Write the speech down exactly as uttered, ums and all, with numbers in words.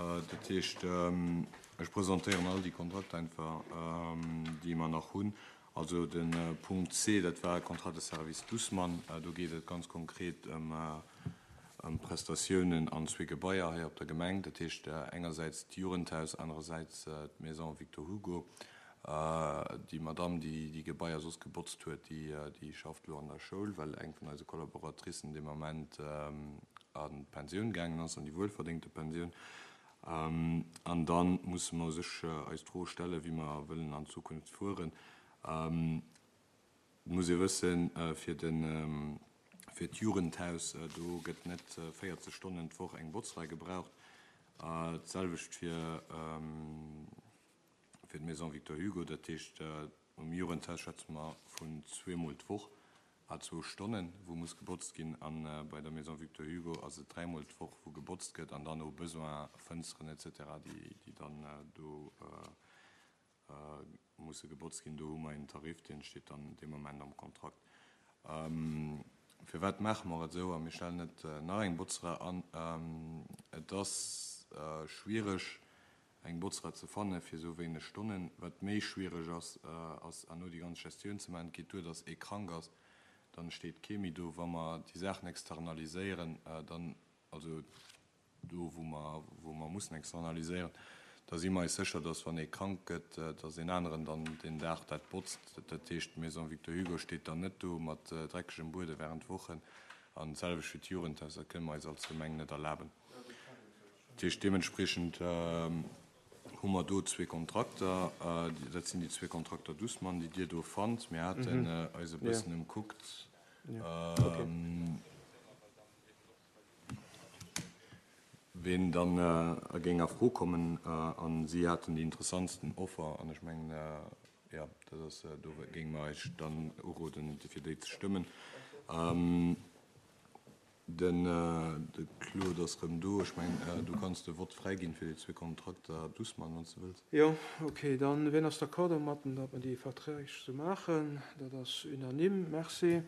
Dat heescht, ech presentéieren all déi Kontrakter einfach, déi mer nach hunn. Also de Punkt C, dat war e Contrat de service Dussmann. Do geet et ganz konkret ëm ëm Prestatiounen an zwee Gebaier hei op der Gemeng. Dat heescht engersäits d'Jugendhaus, anerersäits d'Maison Victor Hugo. Déi Madamm, déi déi Gebaier soss gebotzt huet, déi schafft elo an der Schoul, well eng vun eise Collaboratricen dee Moment an d'Pensioun gaangen ass, an déi wuelverdéngte Pensioun. An da musse mer u sech eis d'Fro stellen, wéi mer wëllen an Zukunft fueren. Et muss ee wëssen, fir de fir d'Jugendhaus, do gëtt net véierzeg Stonnen d'Woch eng Botzrei gebraucht. D'selwecht fir fir d'Maison Victor Hugo. Dat heescht, um Jugendhaus schwätze mer vun zweemol d'Woch à zwou Stonnen, wou muss gebotzt ginn. A bei der Maison Victor Hugo ass et dräimol d'Woch, wou gebotzt gëtt an dann au besoin Fënsteren et cetera, déi déi dann do musse gebotzt ginn. Do hu mer een Tarif, dee steet dann dee Moment am Kontrakt. Firwat maache mer et esou a mir stellen net nach eng Botzera an? Et ass schwiereg, eng Botzera ze fanne fir esou wéineg Stonnen. Wat méi schwiereg ass, ass herno déi ganz Gestioun ze maachen. Et geet duer, datt ee krank ass, dann steet kee méi do. Wa mer déi Saachen externaliséieren, dann, also do wou mer, wou mer mussen externaliséieren, da si mer eis sécher, datt wann ee krank gëtt, datt een aneren dann deen Dag dat botzt. Dat heescht, d'Maison Victor Hugo steet dann net do mat dreckegem Buede während Wochen. An d'selwecht fir d'Jugendhaus, dat kënne mer eis als Gemeng net erlaben. Dat heescht, deementspriechend hu mer do zwee Kontrakter. Dat sinn déi zwee Kontrakter Dussmann, déi Dir do fannt. Mir haten eis e bëssen ëmkuckt. Ween dann géing a Fro kommen. A si haten déi interessantsten Offer. An ech mengen, jo, dat ass, do géinge mer Iech dann uroden, fir déi ze stëmmen. De Claude ass erëm do. Ech mengen, du kanns de Vott fräiginn fir déi zwee Kontrakter Dussmann, wann s de wëlls. Jo, okay. Dann, wien ass d'accord domatten, datt mer déi Verträg esou maachen? Dat ass unanime. Merci.